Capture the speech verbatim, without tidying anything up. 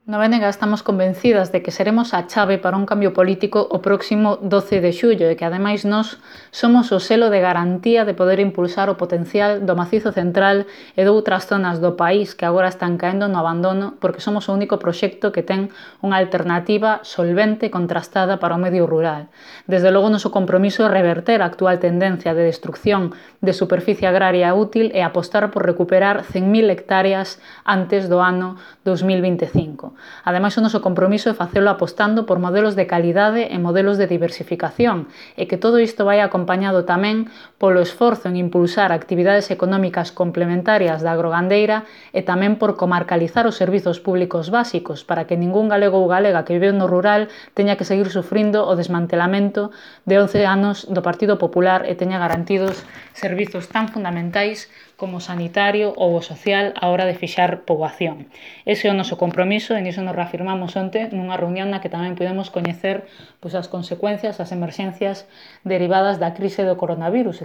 No B N G estamos convencidas de que seremos a chave para un cambio político o próximo doce de xullo e que, ademais, nós somos o selo de garantía de poder impulsar o potencial do Macizo Central e de outras zonas do país que agora están caendo no abandono porque somos o único proxecto que ten unha alternativa solvente e contrastada para o medio rural. Desde logo, o noso compromiso é reverter a actual tendencia de destrucción de superficie agraria útil e apostar por recuperar cen mil hectáreas antes do ano dos mil vinte e cinco. Ademais, o noso compromiso é facelo apostando por modelos de calidade e modelos de diversificación e que todo isto vai acompañado tamén polo esforzo en impulsar actividades económicas complementarias da agrogandeira e tamén por comarcalizar os servizos públicos básicos para que ningún galego ou galega que vive no rural teña que seguir sufrindo o desmantelamento de once anos do Partido Popular e teña garantidos servizos tan fundamentais como o sanitario ou o social á hora de fixar poboación. Ese é o noso compromiso e niso nos reafirmamos onte nunha reunión na que tamén podemos coñecer pois, as consecuencias, as emerxencias derivadas da crise do coronavirus